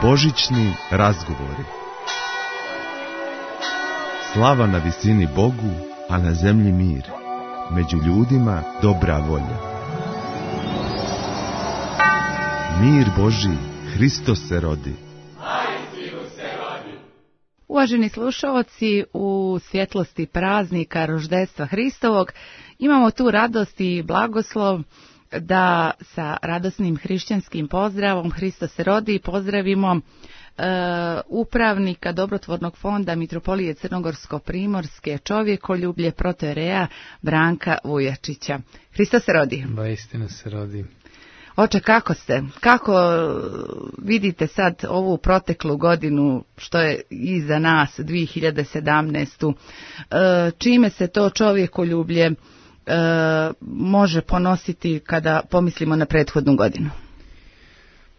Božićni razgovori. Slava na visini Bogu, a na zemlji mir. Među ljudima dobra volja. Mir Božji, Hristos se rodi. Uvaženi slušalci, u svjetlosti praznika roždestva Hristovog imamo tu radost i blagoslov da sa radosnim hrišćanskim pozdravom Hristos se rodi pozdravimo upravnika Dobrotvornog fonda Mitropolije Crnogorsko-Primorske čovjekoljublje protoijereja Branka Vujačića. Hristos se rodi. Ba, istina se rodi. Oče, kako ste? Kako vidite sad ovu proteklu godinu što je iza nas, 2017. Čime se to čovjekoljublje može ponositi kada pomislimo na prethodnu godinu?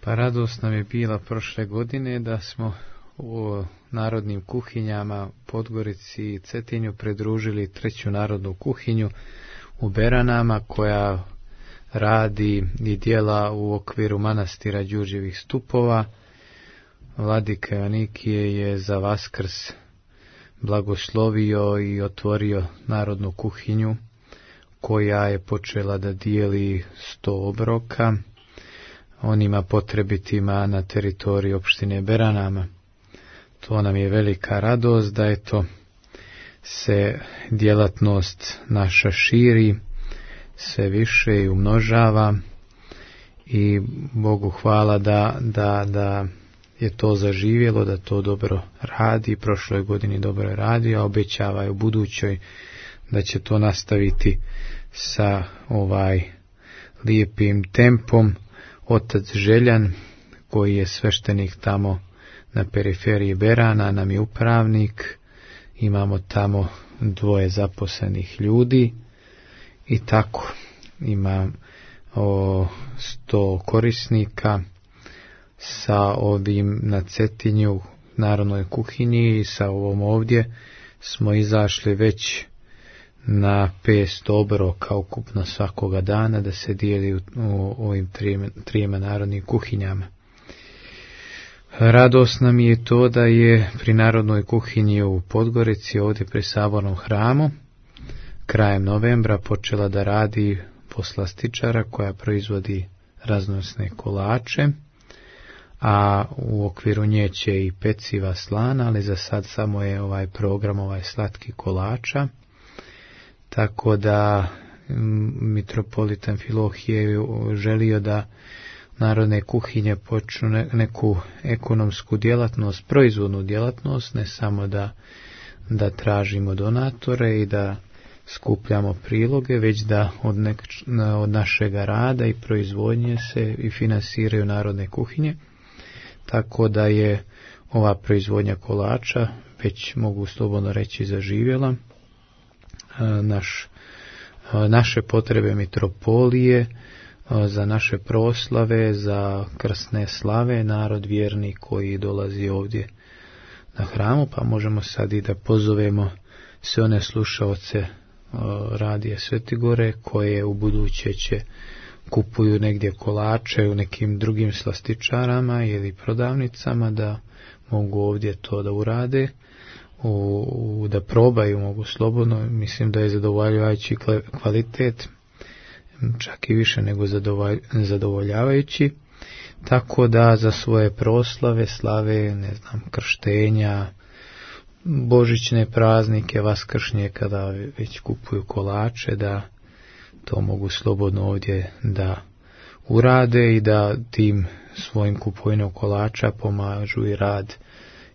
Pa radost nam je bila prošle godine da smo u narodnim kuhinjama Podgorici i Cetinju pridružili treću narodnu kuhinju u Beranama koja radi i djela u okviru manastira Đurđevih stupova. Vladika Joanikije je za Vaskrs blagoslovio i otvorio narodnu kuhinju koja je počela da dijeli 100 obroka onima potrebitima na teritoriji opštine Beranama. To nam je velika radost da se djelatnost naša širi sve više i umnožava i Bogu hvala da je to zaživjelo, da to dobro radi, prošloj godini dobro radi, a obećava je u budućoj da će to nastaviti sa lijepim tempom. Otac Željan, koji je sveštenik tamo na periferiji Berana, nam je upravnik, imamo tamo 2 zaposlenih ljudi i tako ima 100 korisnika sa ovim na Cetinju narodnoj kuhinji i sa ovom ovdje smo izašli već na 500 obroka ukupno svakoga dana da se dijeli u ovim trijema narodnim kuhinjama. Radost nam je to da je pri narodnoj kuhinji u Podgorici ovdje pri Sabornom hramu krajem novembra počela da radi poslastičara koja proizvodi raznovrsne kolače, a u okviru nje će i peciva slana, ali za sad samo je ovaj program slatki kolača. Tako da mitropolit Amfilohije želio da narodne kuhinje počnu neku ekonomsku djelatnost, proizvodnu djelatnost, ne samo da tražimo donatore i da skupljamo priloge, već da od našega rada i proizvodnje se i finansiraju narodne kuhinje. Tako da je ova proizvodnja kolača već mogu slobodno reći zaživjela. Naše potrebe mitropolije, za naše proslave, za krsne slave, narod vjerni koji dolazi ovdje na hramu, pa možemo sad i da pozovemo sve one slušaoce radija Svetigore koje u buduće će kupuju negdje kolače u nekim drugim slastičarama ili prodavnicama da mogu ovdje to da urade. Da probaju, mogu slobodno, mislim da je zadovoljavajući kvalitet, čak i više nego zadovoljavajući, tako da za svoje proslave, slave, krštenja, božićne praznike, vaskršnje, kada već kupuju kolače, da to mogu slobodno ovdje da urade i da tim svojim kupovinom kolača pomažu i rad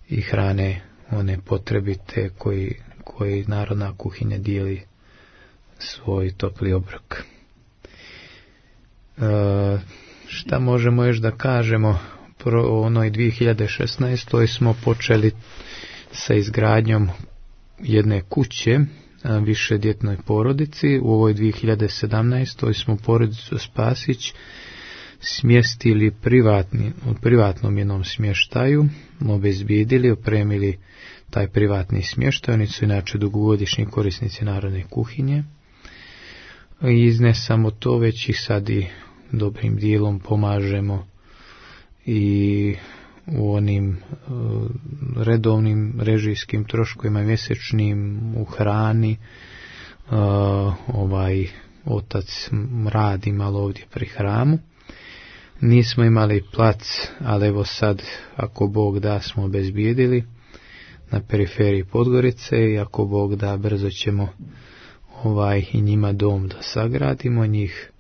i hrane one potrebite koji narodna kuhinja dijeli svoj topli obrok. Šta možemo još da kažemo? O onoj 2016. smo počeli sa izgradnjom jedne kuće višedjetnoj porodici. U ovoj 2017. smo porodicu Spasić smjestili u privatnom jednom smještaju, obezbijedili, opremili taj privatni smještaj. Oni su inače dugogodišnji korisnici narodne kuhinje. I ne samo to, već i sad i dobrim dijelom pomažemo i u onim redovnim režijskim troškovima mjesečnim, u hrani. Otac radi malo ovdje pri hramu. Nismo imali plac, ali evo sad, ako Bog da, smo obezbijedili na periferiji Podgorice i ako Bog da, brzo ćemo i njima dom da sagradimo. Njih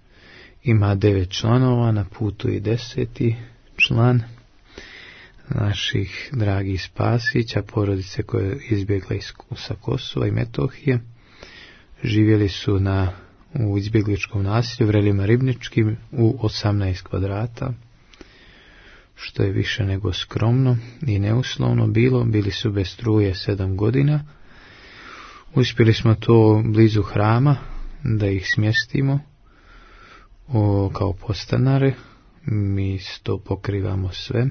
ima 9 članova, na putu i 10. član naših dragih Spasića, porodice koje je izbjegla sa Kosova i Metohije. Živjeli su u izbjegličkom naselju Vrelima Ribničkim u 18 kvadrata, što je više nego skromno i neuslovno bilo. Bili su bez struje 7 godina. Uspjeli smo to blizu hrama da ih smjestimo kao podstanare. Mi to pokrivamo sve.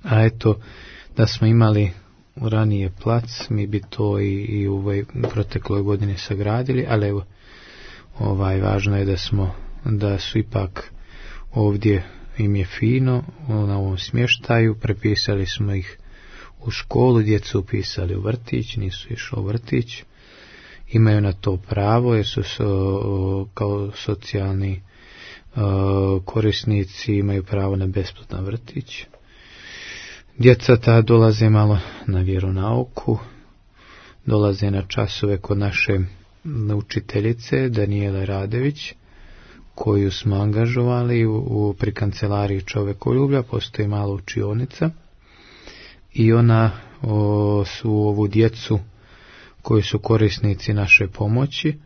A eto, da smo imali ranije plac, mi bi to i u protekloj godini sagradili, ali evo, važno je da su ipak ovdje im je fino na ovom smještaju. Prepisali smo ih u školu, djecu upisali u vrtić, nisu išli u vrtić. Imaju na to pravo jer su kao socijalni korisnici, imaju pravo na besplatan vrtić. Djeca ta dolaze malo na vjeronauku, dolaze na časove kod naše učiteljice Danijele Radević, koju smo angažovali pri kancelariji čovekoljublja. Postoji mala učionica i ona su ovu djecu koji su korisnici naše pomoći,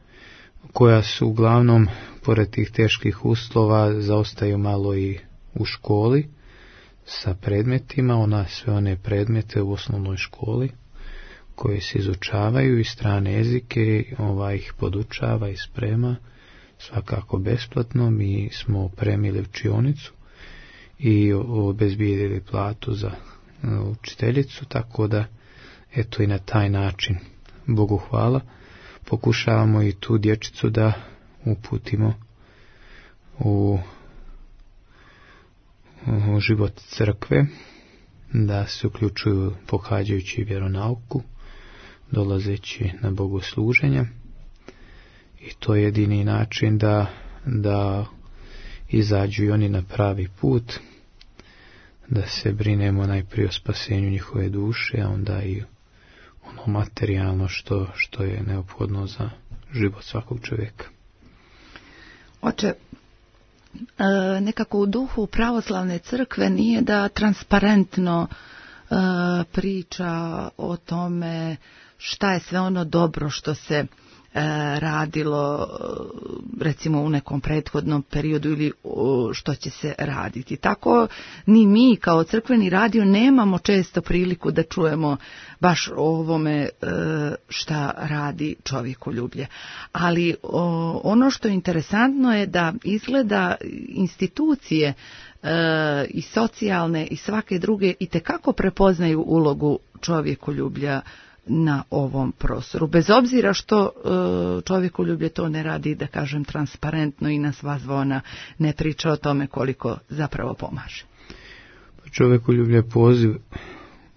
koja su uglavnom, pored tih teških uslova, zaostaju malo i u školi sa predmetima. Ona sve one predmete u osnovnoj školi koje se izučavaju i strane jezike, ih podučava i sprema, svakako besplatno. Mi smo opremili učionicu i obezbijedili platu za učiteljicu, tako da eto i na taj način, Bogu hvala, pokušavamo i tu dječicu da uputimo u život crkve, da se uključuju pohađajući vjeronauku, dolazeći na bogosluženja, i to je jedini način da izađu i oni na pravi put, da se brinemo najprije o spasenju njihove duše, a onda i ono materijalno što je neophodno za život svakog čovjeka. Oče, nekako u duhu pravoslavne crkve nije da transparentno priča o tome šta je sve ono dobro što se radilo recimo u nekom prethodnom periodu ili što će se raditi. Tako ni mi kao crkveni radio nemamo često priliku da čujemo baš o ovome šta radi čovjekoljublje. Ali ono što je interesantno je da izgleda institucije i socijalne i svake druge itekako prepoznaju ulogu čovjekoljublja na ovom prostoru. Bez obzira što čovjekoljublje to ne radi, da kažem, transparentno i na sva zvona ne priča o tome koliko zapravo pomaže. Čovjekoljublje je poziv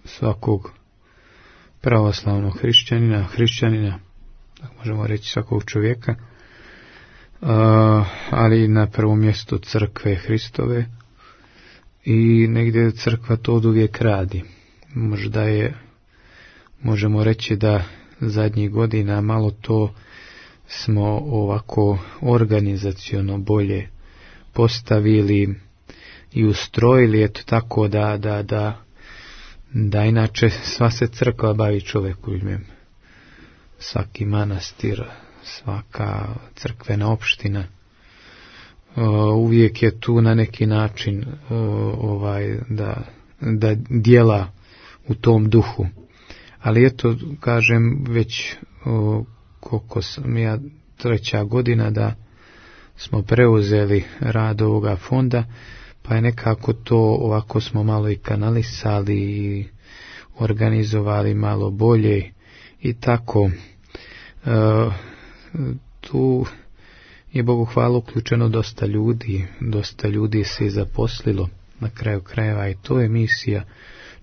svakog pravoslavnog hrišćanina, možemo reći svakog čovjeka, ali na prvom mjestu crkve Hristove, i negdje crkva to oduvijek radi. Možemo reći da zadnjih godina malo to smo ovako organizaciono bolje postavili i ustrojili, eto tako da inače sva se crkva bavi čovjekoljubljem. Svaki manastir, svaka crkvena opština uvijek je tu na neki način da djela u tom duhu. Ali eto, kažem, već koliko sam ja, 3. godina da smo preuzeli rad ovoga fonda, pa je nekako to ovako smo malo i kanalisali i organizovali malo bolje i tako. Tu je, Bogu hvala, uključeno dosta ljudi se je zaposlilo na kraju krajeva i to je misija.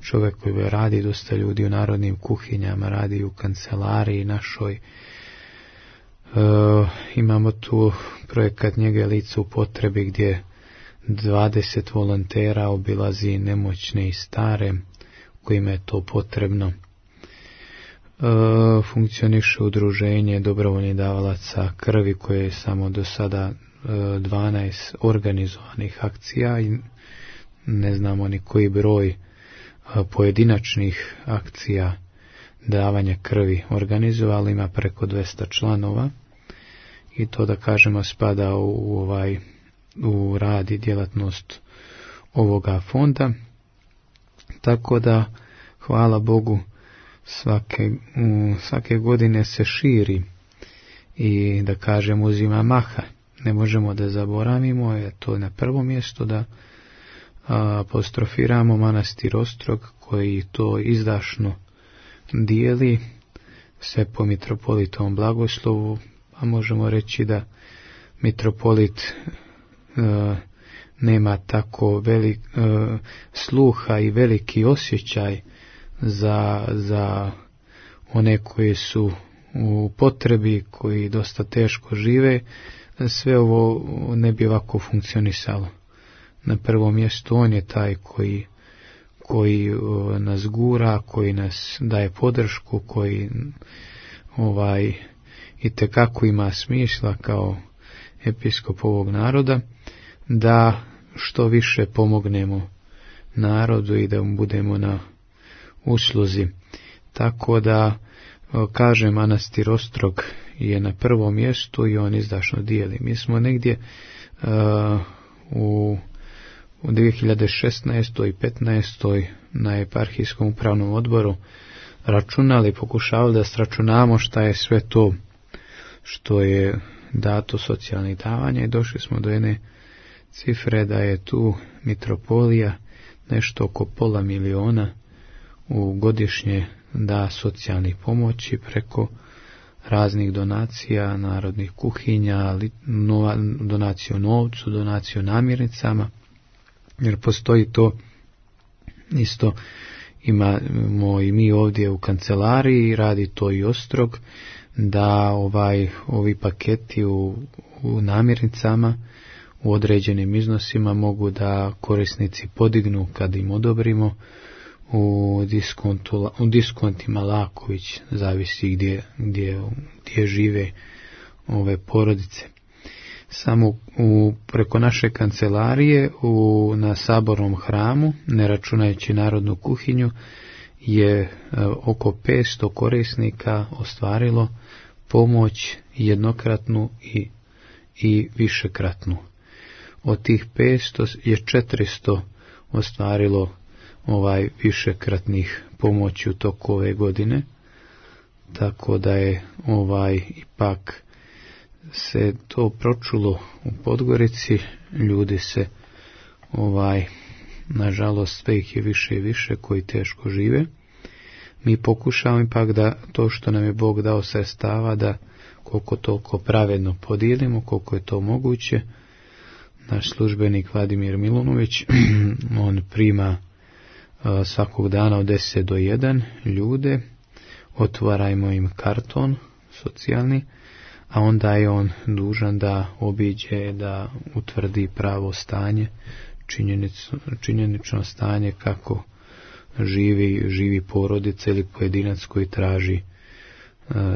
Čovjek koji radi, dosta ljudi u narodnim kuhinjama, radi u kancelariji našoj. Imamo tu projekat Njege lica u potrebi gdje 20 volontera obilazi nemoćne i stare kojima je to potrebno. Funkcioniše udruženje dobrovoljnih davalaca krvi koje je samo do sada 12 organizovanih akcija i ne znamo ni koji broj pojedinačnih akcija davanja krvi organizovali, ima preko 200 članova i to da kažemo spada u rad i djelatnost ovoga fonda, tako da hvala Bogu svake godine se širi i da kažem uzima maha. Ne možemo da zaboravimo, je to na prvom mjestu da apostrofiramo manastir Ostrog koji to izdašno dijeli sve po mitropolitovom blagoslovu, a možemo reći da mitropolit nema tako sluha i veliki osjećaj za one koji su u potrebi, koji dosta teško žive. Sve ovo ne bi ovako funkcionisalo. Na prvom mjestu on je taj koji nas gura, koji nas daje podršku, koji itekako ima smisla kao episkop ovog naroda, da što više pomognemo narodu i da budemo na usluzi. Tako da, kažem, manastir Ostrog je na prvom mjestu i on izdašno dijeli. Mi smo negdje u 2016. i 2015. na eparhijskom upravnom odboru računali, pokušavali da sračunamo šta je sve to što je dato socijalnih davanja i došli smo do jedne cifre da je tu mitropolija nešto oko $500 000 u godišnje da socijalnih pomoći preko raznih donacija, narodnih kuhinja, donaciju novcu, donaciju namirnicama, jer postoji to isto, imamo i mi ovdje u kancelariji, radi to i Ostrog, da ovi paketi u namirnicama u određenim iznosima mogu da korisnici podignu kad im odobrimo u diskontima Laković, zavisi gdje žive ove porodice. Samo preko naše kancelarije na sabornom hramu, ne računajući narodnu kuhinju, je oko 500 korisnika ostvarilo pomoć jednokratnu i višekratnu. Od tih 500 je 400 ostvarilo višekratnih pomoći u toku ove godine, tako da je ipak se to pročulo u Podgorici, ljudi se nažalost sve ih je više i više koji teško žive. Mi pokušavamo ipak da to što nam je Bog dao sredstava da koliko toliko pravedno podijelimo, koliko je to moguće. Naš službenik Vladimir Milunović, on prima svakog dana od 10 do 1 ljude, otvarajmo im karton socijalni, a onda je on dužan da obiđe, da utvrdi pravo stanje, činjenično stanje kako živi porodica ili pojedinac koji traži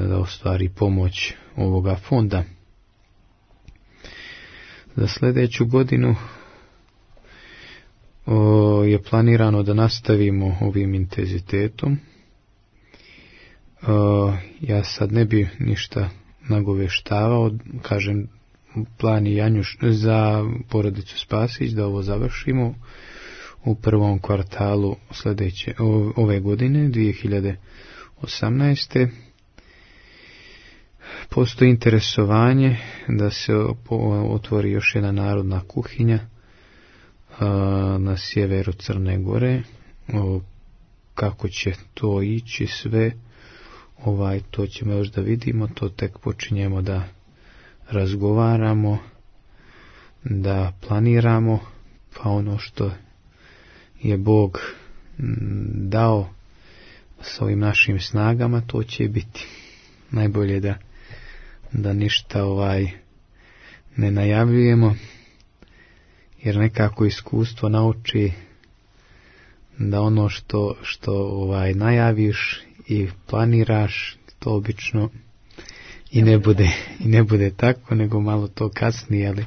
da ostvari pomoć ovoga fonda. Za sljedeću godinu je planirano da nastavimo ovim intenzitetom. Ja sad ne bi ništa nagoveštavao, kažem, plan je Janjuš za porodicu Spasić da ovo završimo u prvom kvartalu ove godine 2018. Postoji interesovanje da se otvori još jedna narodna kuhinja na sjeveru Crne Gore. Kako će to ići sve, to ćemo još da vidimo, to tek počinjemo da razgovaramo, da planiramo, pa ono što je Bog dao s ovim našim snagama, to će biti. Najbolje da ništa ne najavljujemo, jer nekako iskustvo nauči da ono što najaviš i planiraš, to obično i ne bude tako, nego malo to kasnije, ali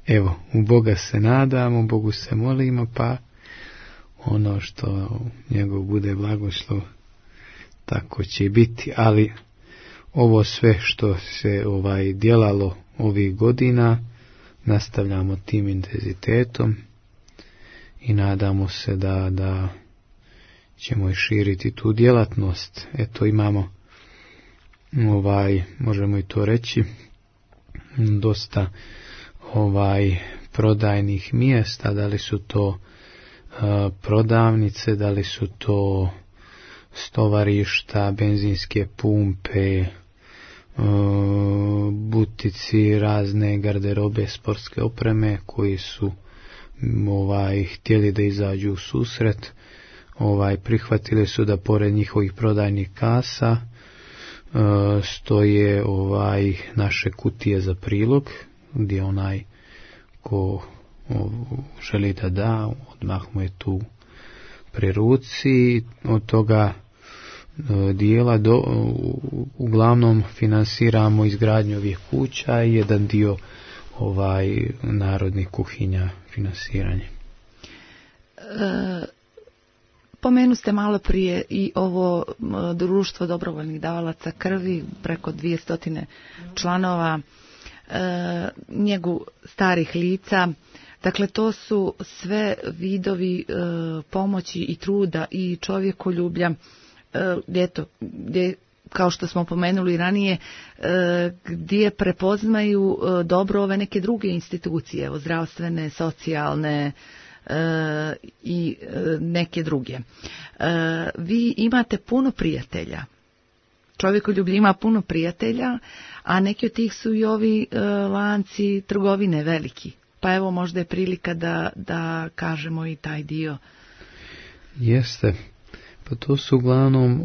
evo, u Boga se nadamo, Bogu se molimo, pa ono što njegov bude blagoslov, tako će biti. Ali ovo sve što se djelalo ovih godina, nastavljamo tim intenzitetom i nadamo se da ćemo i širiti tu djelatnost. Eto, imamo možemo i to reći, dosta prodajnih mjesta, da li su to prodavnice, da li su to stovarišta, benzinske pumpe, butici, razne garderobe, sportske opreme koji su htjeli da izađu u susret, prihvatili su da pored njihovih prodajnih kasa stoje naše kutije za prilog, gdje onaj ko želi da odmah mu je tu pri ruci. Od toga dijela uglavnom finansiramo izgradnju ovih kuća i jedan dio narodnih kuhinja finansiranje. Pomenu ste malo prije i ovo društvo dobrovoljnih davalaca krvi, preko 200 članova, njegu starih lica. Dakle, to su sve vidovi pomoći i truda i čovjekoljublja, gdje, kao što smo pomenuli ranije, gdje prepoznaju dobro ove neke druge institucije, evo, zdravstvene, socijalne i neke druge. Vi imate puno prijatelja. Čovjekoljublje ima puno prijatelja, a neki od tih su i ovi lanci trgovine veliki. Pa evo, možda je prilika da kažemo i taj dio. Jeste. Pa to su uglavnom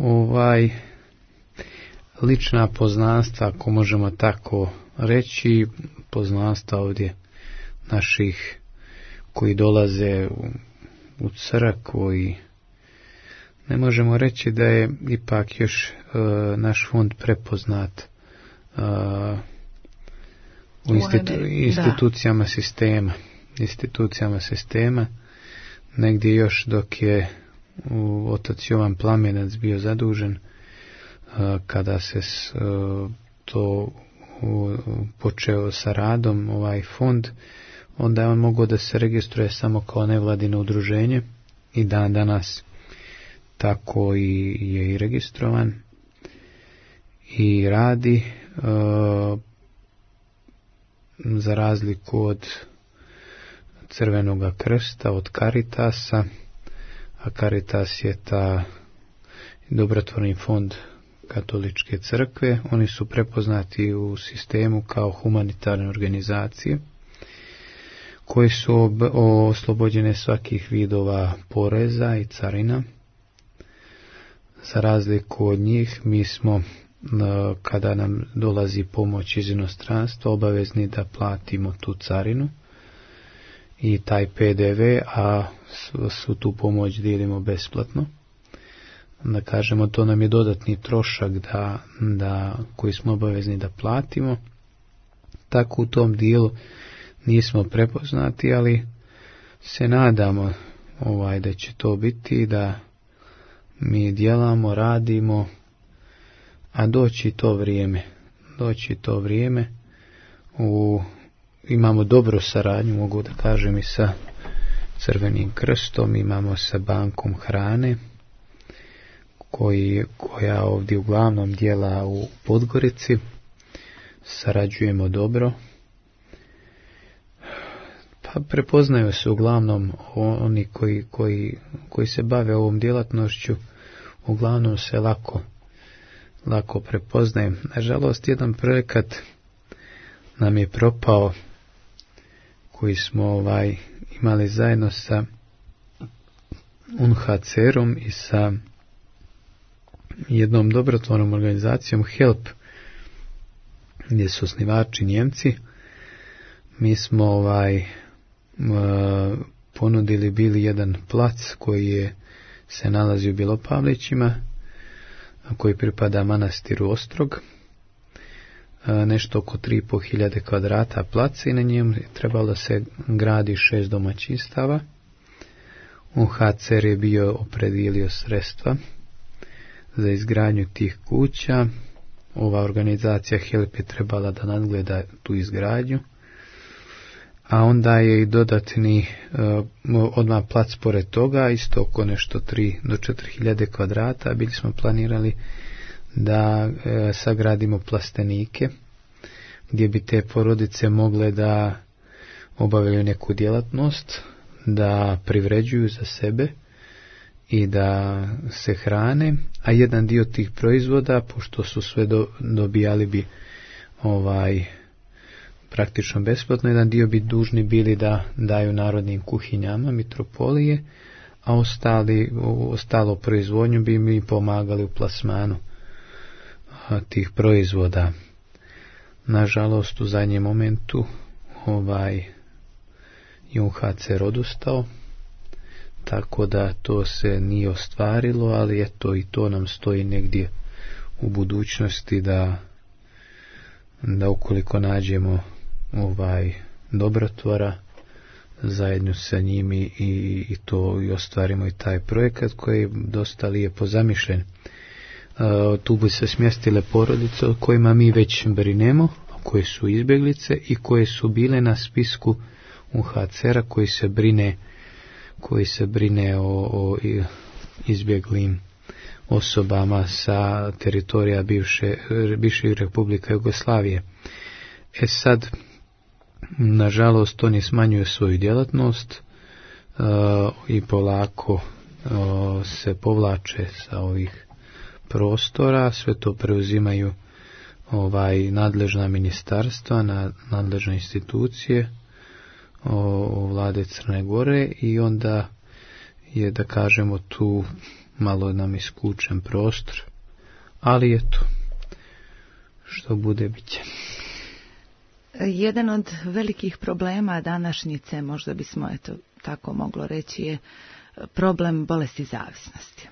lična poznanstva, ako možemo tako reći, poznanstva ovdje naših koji dolaze u crkvu, i ne možemo reći da je ipak još naš fond prepoznat u institucijama sistema, negdje još dok je otac Jovan Plamenac bio zadužen, kada se to počeo sa radom, fond, onda je on mogao da se registruje samo kao nevladino udruženje, i dan danas tako je i registrovan i radi, za razliku od Crvenoga krsta, od Caritasa, a Caritas je ta dobrotvorni fond katoličke crkve. Oni su prepoznati u sistemu kao humanitarne organizacije koje su oslobođene svakih vidova poreza i carina. Za razliku od njih, mi smo, kada nam dolazi pomoć iz inostranstva, obavezni da platimo tu carinu i taj PDV, a svu tu pomoć dijelimo besplatno. Da kažemo, to nam je dodatni trošak koji smo obavezni da platimo. Tako u tom dijelu nismo prepoznati, ali se nadamo da će to biti, da mi djelamo, radimo, a doći to vrijeme. Imamo dobru saradnju, mogu da kažem, i sa Crvenim krstom, imamo sa bankom hrane, koja ovdje uglavnom djela u Podgorici. Sarađujemo dobro. Pa prepoznaju se uglavnom oni koji se bave ovom djelatnošću, uglavnom se lako prepoznajem. Nažalost, jedan projekat nam je propao, koji smo imali zajedno sa UNHCR-om i sa jednom dobrotvornom organizacijom HELP, gdje su osnivači Njemci. Mi smo ponudili bili jedan plac koji se nalazi u Bilopavlićima, koji pripada manastiru Ostrog, nešto oko 3.500 kvadrata placa, i na njemu je trebalo da se gradi 6 domaćinstava. UNHCR je bio opredijelio sredstva za izgradnju tih kuća. Ova organizacija HELP je trebala da nadgleda tu izgradnju, a onda je i dodatni odmah plac pored toga, isto oko nešto 3 do 4.000 kvadrata. Bili smo planirali da sagradimo plastenike, gdje bi te porodice mogle da obavljaju neku djelatnost, da privređuju za sebe i da se hrane, a jedan dio tih proizvoda, pošto su sve dobijali bi praktično besplatno, jedan dio bi dužni bili da daju narodnim kuhinjama mitropolije, a ostalo proizvodnju bi mi pomagali u plasmanu tih proizvoda. Nažalost, u zadnjem momentu UNHCR odustao, tako da to se nije ostvarilo, ali eto, i to nam stoji negdje u budućnosti da ukoliko nađemo dobrotvora, zajedno sa njimi i ostvarimo i taj projekat koji je dosta lijepo zamišljen. Tu bi se smjestile porodice o kojima mi već brinemo, koje su izbjeglice i koje su bile na spisku UNHCR-a koji se brine o izbjeglim osobama sa teritorija bivše Republike Jugoslavije. Sad, nažalost, oni smanjuju svoju djelatnost i polako se povlače sa ovih prostora. Sve to preuzimaju nadležna ministarstva, nadležne institucije vlade Crne Gore, i onda je, da kažemo, tu malo nam isključen prostor, ali eto, što bude bit će. Jedan od velikih problema današnjice, možda bismo tako moglo reći, je problem bolesti zavisnosti.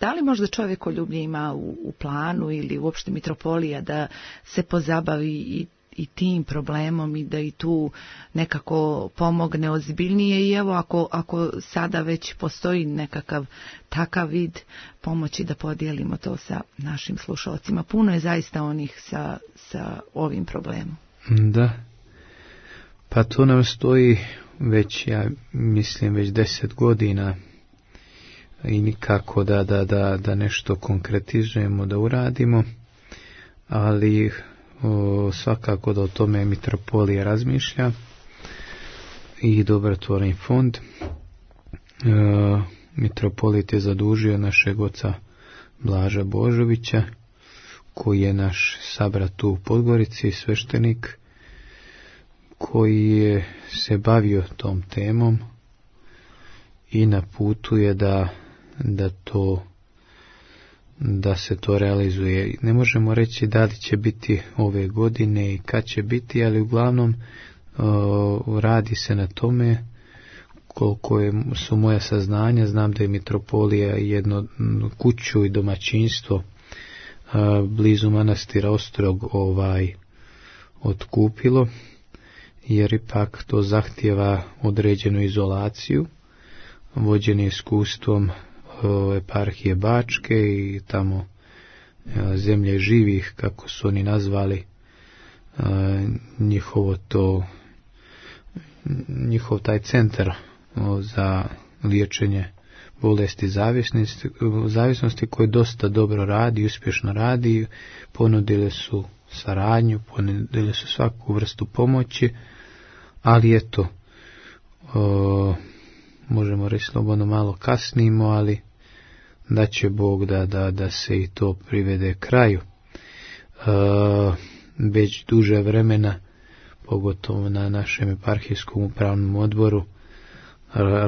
Da li možda čovjekoljublje ima u planu ili uopšte mitropolija da se pozabavi i tim problemom i da i tu nekako pomogne ozbiljnije, i evo ako sada već postoji nekakav takav vid pomoći, da podijelimo to sa našim slušalcima. Puno je zaista onih sa ovim problemom. Da, pa to nam stoji već, ja mislim, već 10 godina i nikako da nešto konkretizujemo, da uradimo, ali svakako da o tome mitropolija razmišlja i dobrotvorni fond. Mitropolit je zadužio našeg oca Blaža Božovića, koji je naš sabrat u Podgorici, sveštenik, koji je se bavio tom temom i na putu je da se to realizuje. Ne možemo reći da li će biti ove godine i kad će biti, ali uglavnom radi se na tome. Koliko su moja saznanja, znam da je mitropolija jedno kuću i domaćinstvo blizu manastira Ostrog otkupilo, jer ipak to zahtjeva određenu izolaciju, vođeni iskustvom eparhije Bačke i tamo zemlje živih, kako su oni nazvali njihov taj centar za liječenje bolesti zavisnosti, koji dosta dobro radi, uspješno radi. Ponudili su saradnju, ponudili su svaku vrstu pomoći, ali eto, možemo reći slobodno malo kasnimo, ali da će Bog da se i to privede kraju. Već duže vremena, pogotovo na našem eparhijskom upravnom odboru,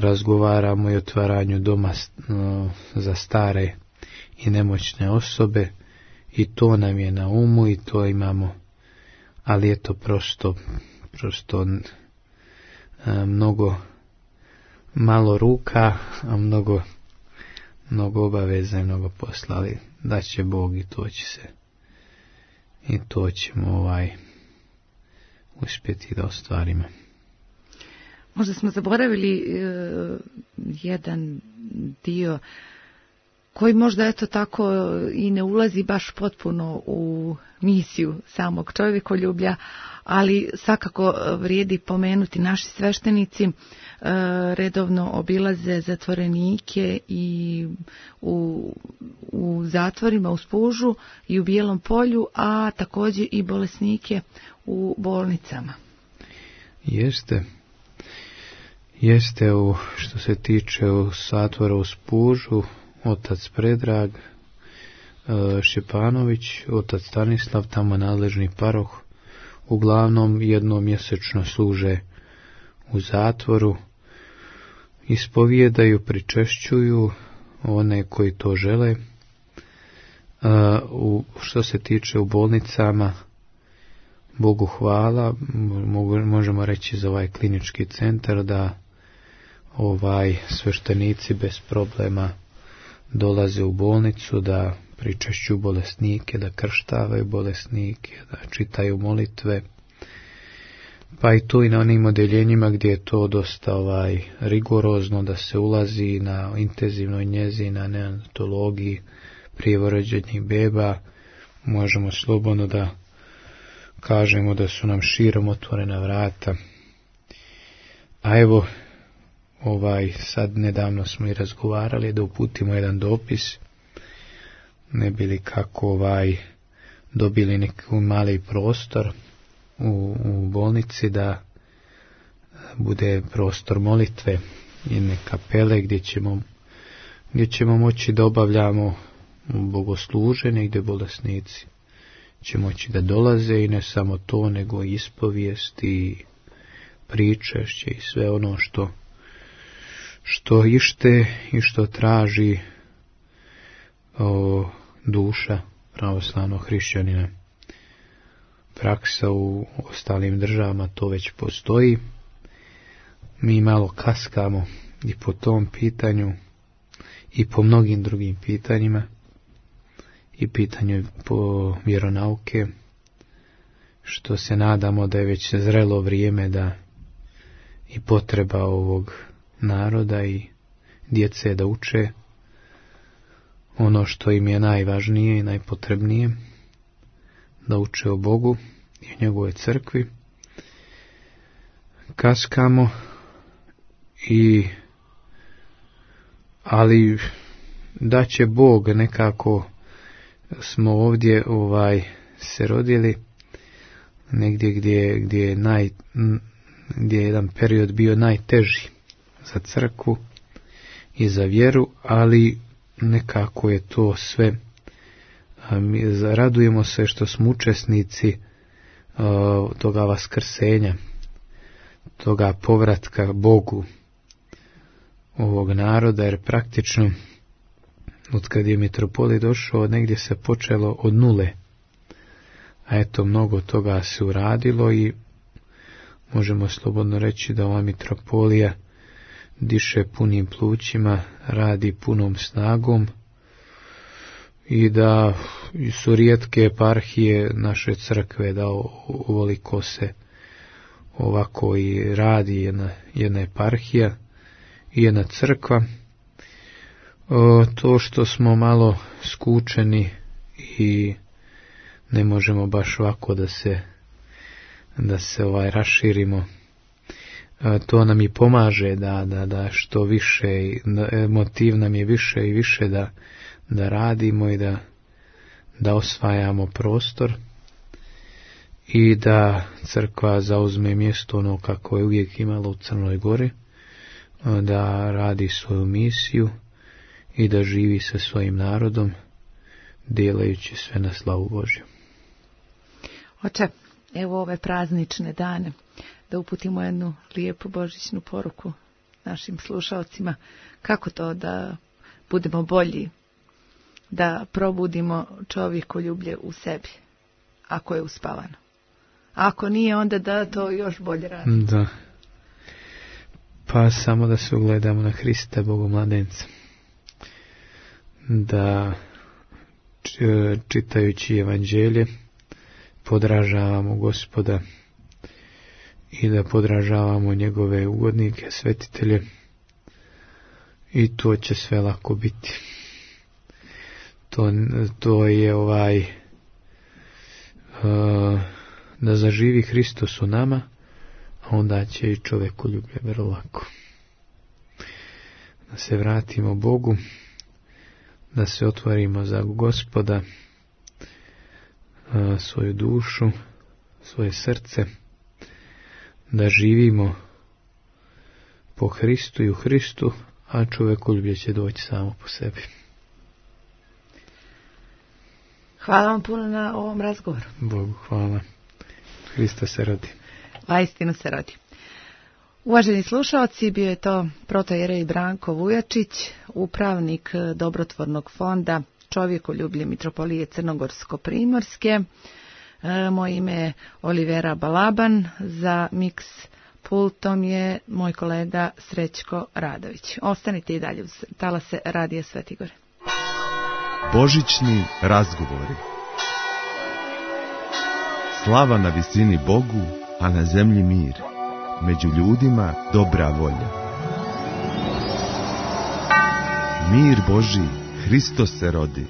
razgovaramo i o otvaranju doma za stare i nemoćne osobe, i to nam je na umu i to imamo, ali je to prosto mnogo malo ruka, a mnogo obaveza i mnogo posla, ali da će Bog i to ćemo uspjeti da ostvarimo. Možda smo zaboravili jedan dio koji možda eto tako i ne ulazi baš potpuno u misiju samog čovjekoljublja, ali svakako vrijedi pomenuti. Naši sveštenici redovno obilaze zatvorenike i u zatvorima u Spužu i u Bijelom Polju, a također i bolesnike u bolnicama. Jeste, što se tiče zatvora u Spužu, otac Predrag Šćepanović, otac Stanislav, tamo nadležni paroh, uglavnom jednom mjesečno služe u zatvoru, ispovijedaju, pričešćuju one koji to žele. Što se tiče u bolnicama, Bogu hvala, možemo reći za ovaj klinički centar da sveštenici bez problema dolaze u bolnicu, da pričešćuju bolesnike, da krštavaju bolesnike, da čitaju molitve. Pa i tu i na onim odeljenjima gdje je to dosta rigorozno, da se ulazi na intenzivnoj njezi, na neonatologiji prvorođenih beba, možemo slobodno da kažemo da su nam širom otvorena vrata. A evo, sad nedavno smo i razgovarali da uputimo jedan dopis, ne bi li kako dobili neki mali prostor u bolnici, da bude prostor molitve i neke kapele gdje ćemo moći da obavljamo bogosluženje, gdje bolesnici će moći da dolaze i ne samo to, nego i ispovijest i pričešće i sve ono što ište i što traži duša pravoslavnog hrišćanina. Praksa u ostalim državama to već postoji. Mi malo kaskamo i po tom pitanju i po mnogim drugim pitanjima, i pitanju po vjeronauke, što se nadamo da je već zrelo vrijeme da i potreba ovog naroda i djece da uče ono što im je najvažnije i najpotrebnije, da uče o Bogu i o njegovoj crkvi. Kaskamo ali da će Bog, nekako smo ovdje se rodili negdje gdje je jedan period bio najteži za crkvu i za vjeru, ali nekako je to sve. Radujemo se što smo učesnici toga vaskrsenja, toga povratka Bogu ovog naroda, jer praktično od kad je mitropolit došao, negdje se počelo od nule, a eto mnogo toga se uradilo i možemo slobodno reći da ova mitropolija diše punim plućima, radi punom snagom i da su rijetke eparhije naše crkve da ovoliko se ovako i radi jedna eparhija i jedna crkva. To što smo malo skučeni i ne možemo baš ovako da se raširimo, to nam i pomaže da što više, motiv nam je više i više da radimo i da osvajamo prostor i da crkva zauzme mjesto ono kako je uvijek imala u Crnoj Gori, da radi svoju misiju i da živi sa svojim narodom, delajući sve na slavu Božju. Oče, evo ove praznične dane, da uputimo jednu lijepu božićnu poruku našim slušalcima kako to da budemo bolji, da probudimo čovjekoljublje u sebi, ako je uspavano. Ako nije, onda da to još bolje radi. Da. Pa samo da se ugledamo na Hrista, Bogomladenca. Da čitajući evanđelje podražavamo Gospoda i da podražavamo njegove ugodnike, svetitelje, i to će sve lako biti. To je da zaživi Hristos u nama, a onda će i čovjekoljublje vrlo lako. Da se vratimo Bogu, da se otvorimo za Gospoda, svoju dušu, svoje srce, da živimo po Hristu i u Hristu, a čovjekoljublje će doći samo po sebi. Hvala vam puno na ovom razgovoru. Bogu hvala. Hrista se rodi. Vaistinu se rodi. Uvaženi slušalci, bio je to protojerej Branko Vujačić, upravnik dobrotvornog fonda Čovjekoljublje Mitropolije Crnogorsko-Primorske. Moje ime je Olivera Balaban, za Mix pultom je moj kolega Srećko Radović. Ostanite i dalje uz talase Radija Sveti Gor. Božićni razgovori. Slava na visini Bogu, a na zemlji mir. Među ljudima dobra volja. Mir Božji, Hristos se rodi.